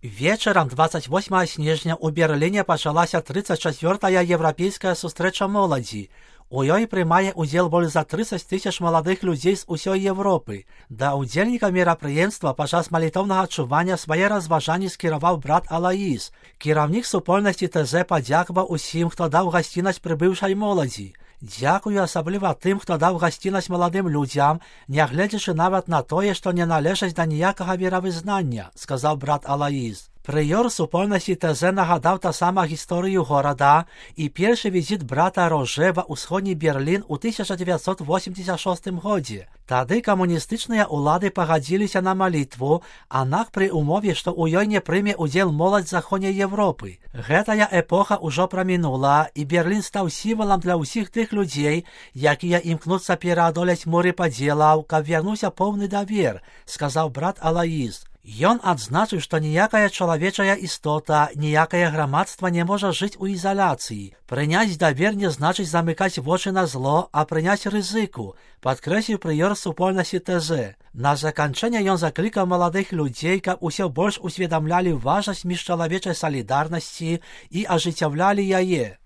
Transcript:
Вечарам 28 снежня ў Берліне пачалася 34-я еўрапейская сустрэча моладзі. У ёй прымае ўдзел больш за 30 000 маладых людзей з усёй Европы. Да ўдзельнікаў мерапрыемства падчас малітоўнага чування свае разважанні скіраваў брат Алаіс. Кіраўнік супольнасці ТЗ падзякаваў усім, хто даў гасціннасць прыбыўшай моладзі. Дзякую асабліва тым, хто даў гасцінасць маладым людзям, нягледзячы нават на тое, што не належаць да ніякага веравызнання, сказаў брат Алаіс. Прыёр супольнасці ТЗ нагадаў таксама гісторыю горада і першы візіт брата Роже ва ўсходні Берлін у 1986 годзе. Тады камуністычныя ўлады пагадзіліся на малітву, аднак пры ўмове, што ў ёй не прыме ўдзел моладзь заходняй Европы. Гэтая эпоха ўжо прамінула, і Берлін стаў сімвалам для ўсіх тых людзей, якія імкнуцца пераадолець муры падзелаў, каб вярнуўся поўны давер, сказаў брат Алаіс. Ён адзначыў, што ніякая чалавечая істота, ніякае грамадства не можа жыць у ізаляцыі. Прыняць давер не значыць замыкаць вочы на зло, а прыняць рызыку, падкрэсліў прыёр супольнасці ТЗ. На заканчэнне ён заклікаў маладых людзей, каб усё больш усведамлялі важнасць міжчалавечай салідарнасці і ажыццяўлялі яе.